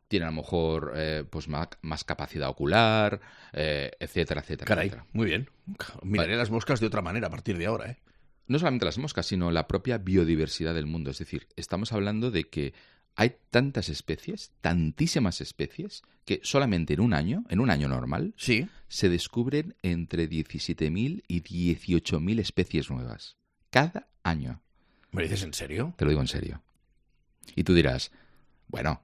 tienen a lo mejor pues más capacidad ocular, etcétera, etcétera. Caray, etcétera. Muy bien. Miraré las moscas de otra manera a partir de ahora, ¿eh? No solamente las moscas, sino la propia biodiversidad del mundo. Es decir, estamos hablando de que hay tantas especies, tantísimas especies, que solamente en un año normal, sí, se descubren entre 17.000 y 18.000 especies nuevas. Cada año. ¿Me lo dices en serio? Te lo digo en serio. Y tú dirás, bueno,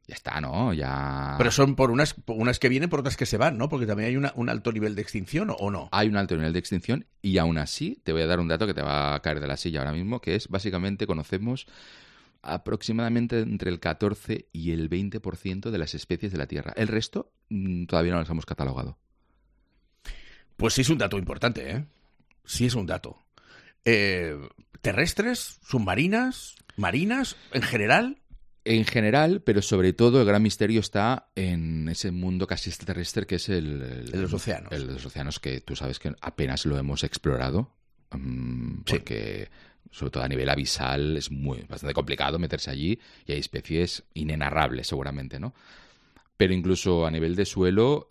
ya está, ¿no? Ya... Pero son por unas que vienen, por otras que se van, ¿no? Porque también hay un alto nivel de extinción, ¿o no? Hay un alto nivel de extinción y aún así te voy a dar un dato que te va a caer de la silla ahora mismo, que es básicamente conocemos aproximadamente entre el 14 y el 20% de las especies de la Tierra. El resto todavía no las hemos catalogado. Pues sí es un dato importante, ¿eh? Sí es un dato. ¿Terrestres? ¿Submarinas? ¿Marinas? ¿En general? En general, pero sobre todo el gran misterio está en ese mundo casi extraterrestre que es el de los océanos. El de los océanos, que tú sabes que apenas lo hemos explorado, porque sobre todo a nivel abisal es bastante complicado meterse allí y hay especies inenarrables seguramente, ¿no? Pero incluso a nivel de suelo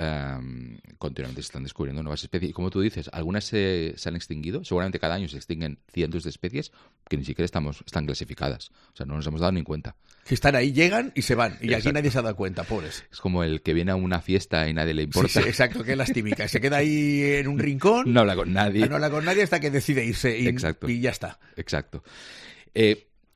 continuamente se están descubriendo nuevas especies. Y como tú dices, algunas se han extinguido. Seguramente cada año se extinguen cientos de especies que ni siquiera están clasificadas. O sea, no nos hemos dado ni cuenta. Que están ahí, llegan y se van. Y Exacto. aquí nadie se ha dado cuenta, pobres. Es como el que viene a una fiesta y nadie le importa. Sí, exacto, que es las típicas. Se queda ahí en un rincón. No habla con nadie. No habla con nadie hasta que decide irse. Y ya está. Exacto.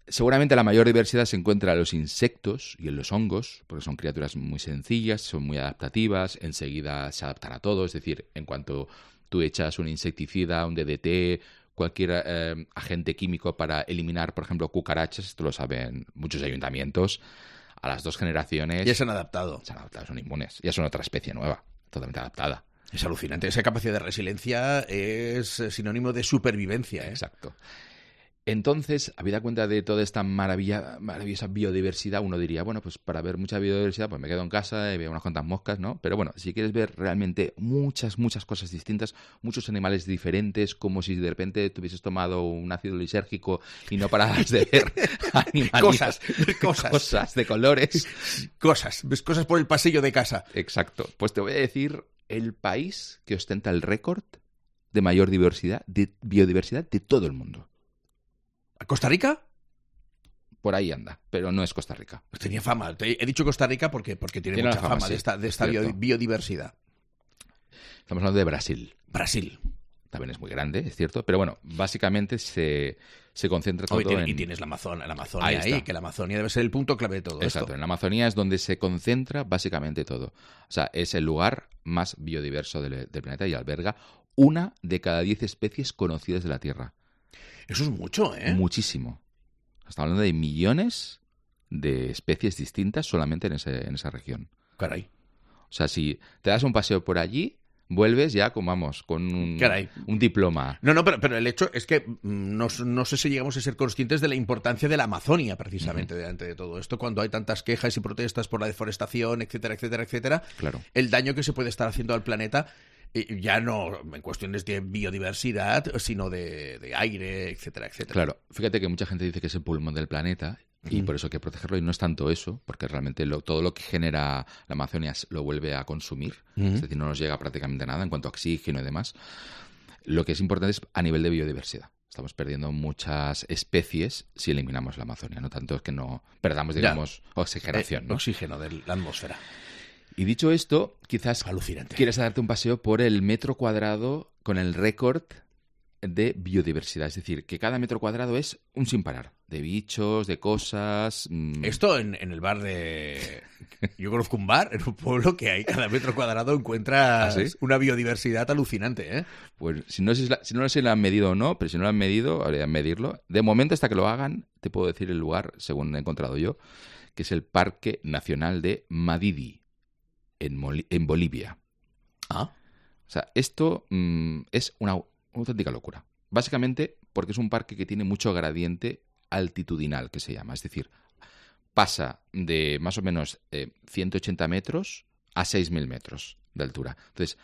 Seguramente la mayor diversidad se encuentra en los insectos y en los hongos, porque son criaturas muy sencillas, son muy adaptativas, enseguida se adaptan a todo. Es decir, en cuanto tú echas un insecticida, un DDT, cualquier agente químico para eliminar, por ejemplo, cucarachas, esto lo saben muchos ayuntamientos, a las 2 generaciones... Ya se han adaptado. Son inmunes. Ya son otra especie nueva, totalmente adaptada. Es alucinante. Esa capacidad de resiliencia es sinónimo de supervivencia. Exacto. Entonces, habida cuenta de toda esta maravillosa biodiversidad, uno diría, bueno, pues para ver mucha biodiversidad, pues me quedo en casa y veo unas cuantas moscas, ¿no? Pero bueno, si quieres ver realmente muchas cosas distintas, muchos animales diferentes, como si de repente te hubieses tomado un ácido lisérgico y no pararas de ver animalitos, cosas de colores. Ves cosas por el pasillo de casa. Exacto. Pues te voy a decir el país que ostenta el récord de mayor biodiversidad de todo el mundo. ¿Costa Rica? Por ahí anda, pero no es Costa Rica. Pues tenía fama. He dicho Costa Rica porque tiene mucha fama, sí, de esta biodiversidad. Estamos hablando de Brasil. Brasil. También es muy grande, es cierto, pero bueno, básicamente se concentra todo y tienes la Amazonia ahí, que la Amazonia debe ser el punto clave de todo esto. Exacto, en la Amazonía es donde se concentra básicamente todo. O sea, es el lugar más biodiverso del planeta y alberga 1 de cada 10 especies conocidas de la Tierra. Eso es mucho, ¿eh? Muchísimo. Estamos hablando de millones de especies distintas solamente en esa región. Caray. O sea, si te das un paseo por allí, vuelves ya con un diploma. No, pero el hecho es que no sé si llegamos a ser conscientes de la importancia de la Amazonia, precisamente, delante de todo esto, cuando hay tantas quejas y protestas por la deforestación, etcétera, etcétera, etcétera. Claro. El daño que se puede estar haciendo al planeta, ya no en cuestiones de biodiversidad, sino de aire, etcétera, etcétera. Claro, fíjate que mucha gente dice que es el pulmón del planeta y por eso hay que protegerlo, y no es tanto eso, porque realmente todo lo que genera la Amazonia lo vuelve a consumir, es decir, no nos llega prácticamente nada en cuanto a oxígeno y demás. Lo que es importante es a nivel de biodiversidad. Estamos perdiendo muchas especies si eliminamos la Amazonia, no tanto es que no perdamos, digamos, oxigenación, ¿no? Oxígeno de la atmósfera. Y dicho esto, quizás alucinante, quieres darte un paseo por el metro cuadrado con el récord de biodiversidad. Es decir, que cada metro cuadrado es un sin parar. De bichos, de cosas... Esto en el bar de... Yo conozco un bar en un pueblo que hay cada metro cuadrado encuentras una biodiversidad alucinante, ¿eh? Pues si no sé si lo han medido o no, pero si no lo han medido, habría que medirlo. De momento, hasta que lo hagan, te puedo decir el lugar, según he encontrado yo, que es el Parque Nacional de Madidi, en Bolivia. O sea, esto es una auténtica locura. Básicamente porque es un parque que tiene mucho gradiente altitudinal, que se llama. Es decir, pasa de más o menos 180 metros a 6.000 metros de altura. Entonces,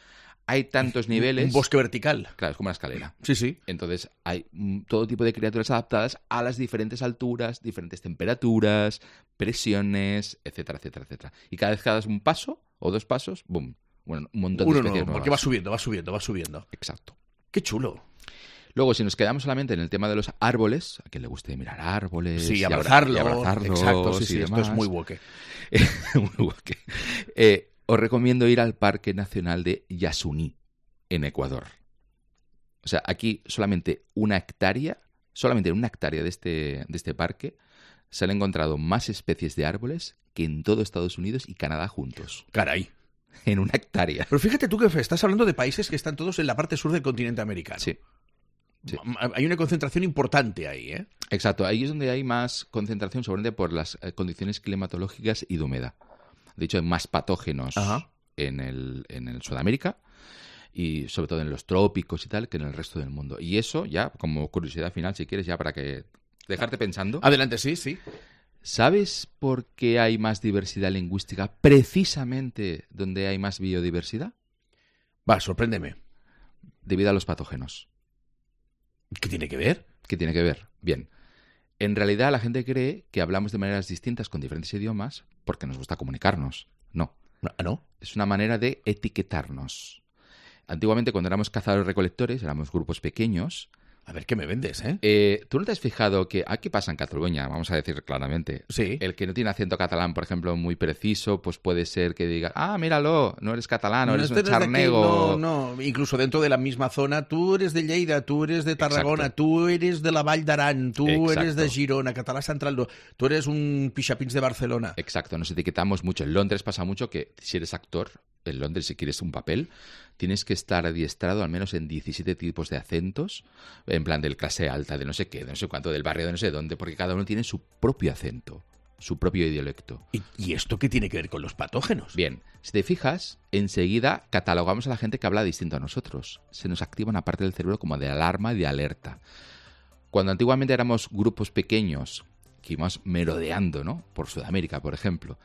hay tantos niveles... Un bosque vertical. Claro, es como una escalera. Sí. Entonces, hay todo tipo de criaturas adaptadas a las diferentes alturas, diferentes temperaturas, presiones, etcétera, etcétera, etcétera. Y cada vez que das un paso o 2 pasos, ¡boom! Bueno, un montón de especies nuevas. Porque va subiendo. Exacto. ¡Qué chulo! Luego, si nos quedamos solamente en el tema de los árboles, a quien le guste mirar árboles... Sí, abrazarlos. Exacto, sí, esto es muy woke. Muy woke. Os recomiendo ir al Parque Nacional de Yasuní, en Ecuador. O sea, aquí solamente en una hectárea de este parque se han encontrado más especies de árboles que en todo Estados Unidos y Canadá juntos. Caray. En una hectárea. Pero fíjate tú que estás hablando de países que están todos en la parte sur del continente americano. Sí. Hay una concentración importante ahí, ¿eh? Exacto. Ahí es donde hay más concentración, seguramente por las condiciones climatológicas y de humedad. De hecho, hay más patógenos en el Sudamérica y sobre todo en los trópicos y tal, que en el resto del mundo. Y eso ya, como curiosidad final, si quieres, ya para que dejarte pensando. Adelante, sí. ¿Sabes por qué hay más diversidad lingüística precisamente donde hay más biodiversidad? Va, sorpréndeme. Debido a los patógenos. ¿Qué tiene que ver? ¿Qué tiene que ver? Bien. En realidad la gente cree que hablamos de maneras distintas con diferentes idiomas porque nos gusta comunicarnos. No. ¿No? Es una manera de etiquetarnos. Antiguamente, cuando éramos cazadores-recolectores, éramos grupos pequeños. A ver, ¿qué me vendes, ¿Tú no te has fijado que aquí pasa en Cataluña? Vamos a decir claramente. Sí. El que no tiene acento catalán, por ejemplo, muy preciso, pues puede ser que diga, míralo, no eres catalán, no eres un charnego. No, incluso dentro de la misma zona, tú eres de Lleida, tú eres de Tarragona, Exacto. tú eres de la Vall d'Aran, tú Exacto. eres de Girona, Català Central, no, tú eres un pixapins de Barcelona. Exacto, nos etiquetamos mucho. En Londres pasa mucho que si eres actor, en Londres, si quieres un papel, tienes que estar adiestrado al menos en 17 tipos de acentos, en plan del clase alta, de no sé qué, de no sé cuánto, del barrio de no sé dónde, porque cada uno tiene su propio acento, su propio dialecto. ¿Y esto qué tiene que ver con los patógenos? Bien, si te fijas, enseguida catalogamos a la gente que habla distinto a nosotros. Se nos activa una parte del cerebro como de alarma y de alerta. Cuando antiguamente éramos grupos pequeños que íbamos merodeando, ¿no?, por Sudamérica, por ejemplo,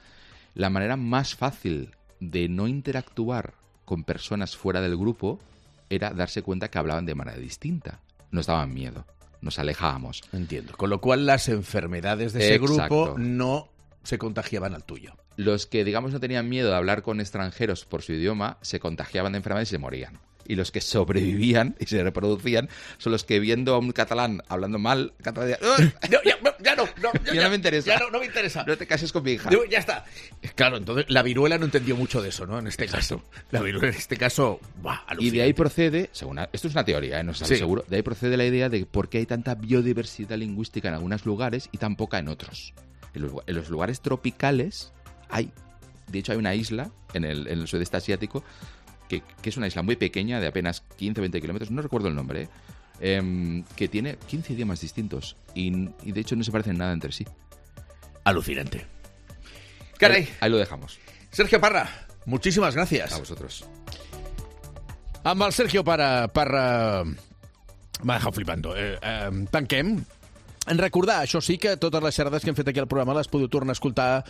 la manera más fácil de no interactuar con personas fuera del grupo era darse cuenta que hablaban de manera distinta. Nos daban miedo, nos alejábamos. Entiendo. Con lo cual las enfermedades de ese grupo no se contagiaban al tuyo. Los que, digamos, no tenían miedo de hablar con extranjeros por su idioma, se contagiaban de enfermedades y se morían. Y los que sobrevivían y se reproducían son los que, viendo a un catalán hablando mal, catalán decían, ya no me interesa. Ya no me interesa. No te cases con mi hija. Ya está. Claro, entonces la viruela no entendió mucho de eso, ¿no? En este caso. La viruela en este caso, y de ahí procede, según esto es una teoría, no estoy seguro, de ahí procede la idea de por qué hay tanta biodiversidad lingüística en algunos lugares y tan poca en otros. En los lugares tropicales hay, de hecho hay una isla en el sudeste asiático que es una isla muy pequeña, de apenas 15 o 20 kilómetros, no recuerdo el nombre, que tiene 15 idiomas distintos y de hecho no se parecen nada entre sí. Alucinante. Caray. Ahí lo dejamos. Sergio Parra, muchísimas gracias. A vosotros. Amb el Sergio Parra m'ha deixat flipant. Tanquem. En recordar, això sí, que totes les xerrades que hem fet aquí al programa les podeu tornar a escoltar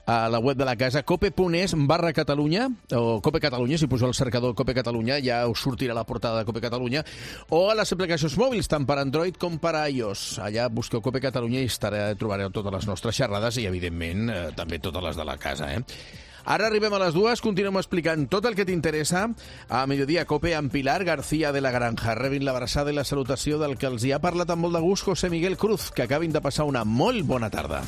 a la web de la casa, cope.es/Catalunya, o Cope Catalunya, si poseu el cercador Cope Catalunya, ja us sortirà la portada de Cope Catalunya, o a les aplicacions mòbils, tant per Android com per iOS. Allà busqueu Cope Catalunya i trobareu totes les nostres xerrades i, evidentment, també totes les de la casa, Ara arribem a les 2, continuem explicant tot el que t'interessa a Mediodía Cope amb Pilar García de la Granja. Rebin l'abraçada i la salutació del que els hi ha parlat amb molt de gust José Miguel Cruz. Que acabin de passar una molt bona tarda.